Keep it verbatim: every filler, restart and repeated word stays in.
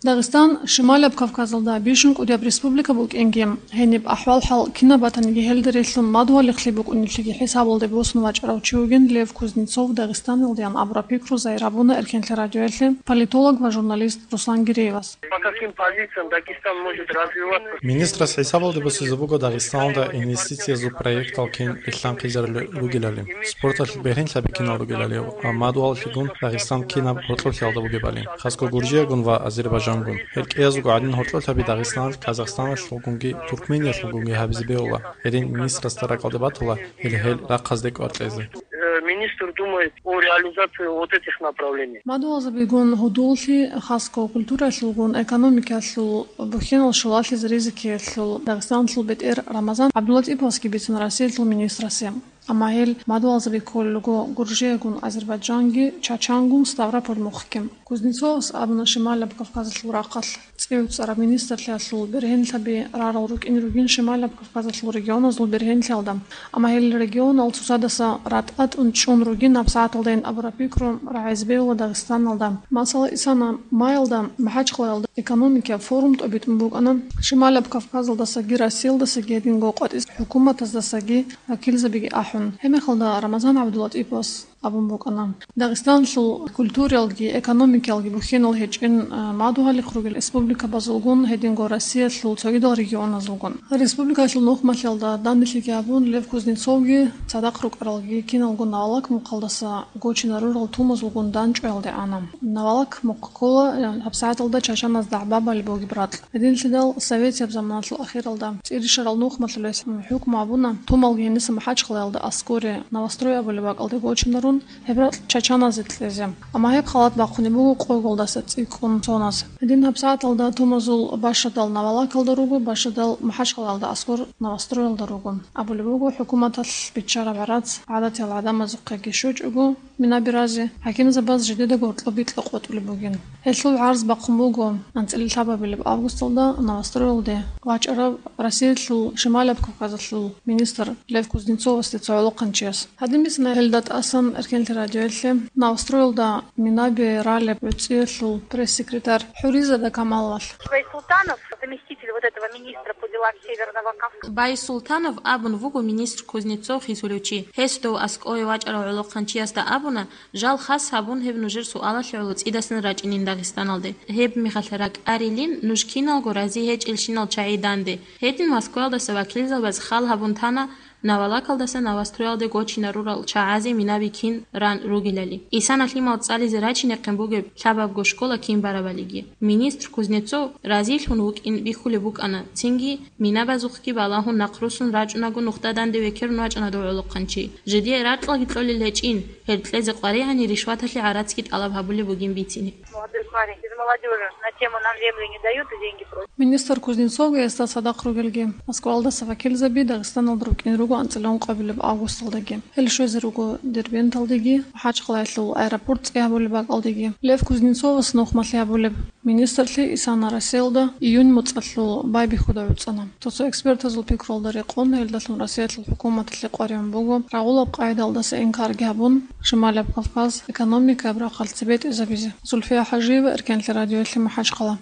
Дагъистан Шималаб Кавказалда бищун кӀудияб республика букӀинги, гьениб ахӀвал-хӀал кинаб батаниги гьелда релълъун мадугьалихълъи букӀунеблъиги хӀисабалде босун вачӀарав чи вугин Лев Кузнецов Дагъистаналдеян абураб пикру загьир гьабуна Эркенлъи радиоялъе политолог ва журналист Руслан Гиреевас. По каким позициям Дагестан может развиваться? Министрас хӀисабалде босизе буго Дагъистаналда инвестициязул проектал кин рилълъанхъизарулел ругелали, спорталъ бергьенлъаби кинал ругелали ва мадугьаллъигун Дагъистан кинаб гьоркьоблъиялда бугебали, хасго Гуржиягун ва Азербайджангун. Гьел кӀиязулго гӀадин гьоркьоблъаби Дагъистаналъ, Казахстаналъулгунги Туркмениялъулгунги гьабизе бегьула. Гьедин министрасда ракӀалде батула гьел, гьел рахъаздекӀ варкьезе. Э, министр думает о реализации вот этих направлений. Мадугьалзабигун гьудуллъи, хасго культуралъулгун, экономикалъул бухьинал щулалъизе ризикиялъул Дагъистаналъул бетӀер Рамазан ГӀабдулатӀиповасги бицун Россиялъул министрасе. Амма гьел мадугьалзаби кколел руго Гуржиягун, Азербайджанги, Чачангун, Ставрополь мухъги. Кузнецовас абуна Шималаб Кавказалъул рахъалъ цӀив цӀараб министрлъиялъул бергьенлъаби рарал рукӀин ругин Шималаб Кавказалъул регионазул бергьенлъиялда, амма гьел регионал цоцадаса ратӀа-тӀун чӀун ругин гьабсагӀаталдайин абураб пикру рагӀизе бегьула Дагъистаналда. Масала, исана маялда МахӀачхъалаялда экономикияб форум тӀобитӀун букӀана, Шималаб Кавказалдасаги Россиялдасаги гьединго къватӀис хӀукуматаздасаги вакилзабиги ахӀун. Гьебмехалда Рамазан ГӀабдулатӀиповас абун букӀана. Дагъистаналъул культуралги экономикалги бухьинал гьечӀин, а, мадугьалихъ ругел республикабазулгун, гьединго Россиялъул цогидал регионазулгун. Республикалъул нухмалъиялда данделъиги абун, Лев Кузнецовги, цадахъ рукӀаралги киналго Навалак мухъалдаса гочинарурал тумазулгун данчӀваялде ана. Навалак мухъ ккола, а, гьабсагӀаталда чачаназ дагӀба балеб бугеб ракь. Гьединлъидал советияб заманалъул ахиралда цӀирищарал нухмалъулес хӀукму гьабуна, тумалги гьениса МахӀачхъалаялда аскоре Новострой абулеб бакӀалде гочинарун, гьеб ракь чачаназе кьезе. Амма гьеб халат бахъунеб буго къоголдаса цӀикӀкӀун цоназ. Гьедин гьабсагӀаталда тумазул бащадал Навалакалда руго, бащадал МахӀачхъалаялда аскор Новостроялда руго. Абулеб буго, хӀукуматалъ биччараб гӀарац гӀадатиял гӀадамазухъеги щочӀого, Минаби рази хӀакимзабаз жидедаго гьоркьоб бикьа къотӀулеб бугин. Гьелъул гӀарз бахъун буго анцӀила лъабабилеб августалда Новостроялде вачӀарав Россиялъул Шималаб Кавказалъул министр Лев Кузнецовасде цо гӀолохъанчияс. Гьадин бицана гьелда тӀасан Эркенлъи радиоялъе Новостроялда Минаби ралеб гӀуцӀиялъул пресс-секретарь ХӀуризада Камаловалъ. Байсултанов, заместитель вот этого министра по делам Северного Кавказа. Байсултанов абун вуго министр Кузнецов хисулев чи. Гьес дов аскӀове вачӀарав гӀолохъанчиясда абуна, жал хас гьабун гьеб нужер суалалъе гӀоло цӀидасан рачӀинин Дагъистаналде. Гьеб мехалъ ракӀарилин нуж киналго рази гьечӀелщинал чагӀи данде. Гьедин Москваялдаса вакилзабаз хал гьабун тана Навалакалдаса Новостроялде гочинарурал чагӀазе Минаби кин ран ругелали, исана лъимал цӀализе рачинехъин бугеб лъабабго школа кин барабалиги. Министр Кузнецов разилъун вукӀин бихьулеб букӀана, цинги Минабазухъги балагьун нахърусун рачӀунаго нухда данде векерун вачӀана дов гӀолохъанчи. Жидее ракьалги кьолел гьечӀин, гьел кьезе къваригӀани ришваталъе гӀарацги тӀалаб гьабулеб бугин бицине. Молодой парень, из молодежи на тему «Нам землю не дают и деньги просят». Министр Кузнецовги гьесда цадахъ ругелги Москваялдаса вакилзаби Дагъистаналда рукӀин руго анцӀила ункъабилеб августалдаги. Гьел щвезе руго Дербенталдеги, МахӀачхъалаялъул аэропорт цӀи гьабулеб бакӀалдеги. Лев Кузнецовас нухмалъи гьабулеб министрлъи исана Россиялда июнь моцӀалъул байбихьуда гӀуцӀана. Цо-цо экспертазул пикруялда рекъон, гьелдалъун Россиялъул хӀукуматалъе къваригӀун буго, рагъулаб къагӀидалдаса инкарги гьабун, Шималаб Кавказ экономикаяб рахъалъ цебетӀезабизе. Зульфия ХӀажиева, Эркенлъи радиоялъе, МахӀачхъала.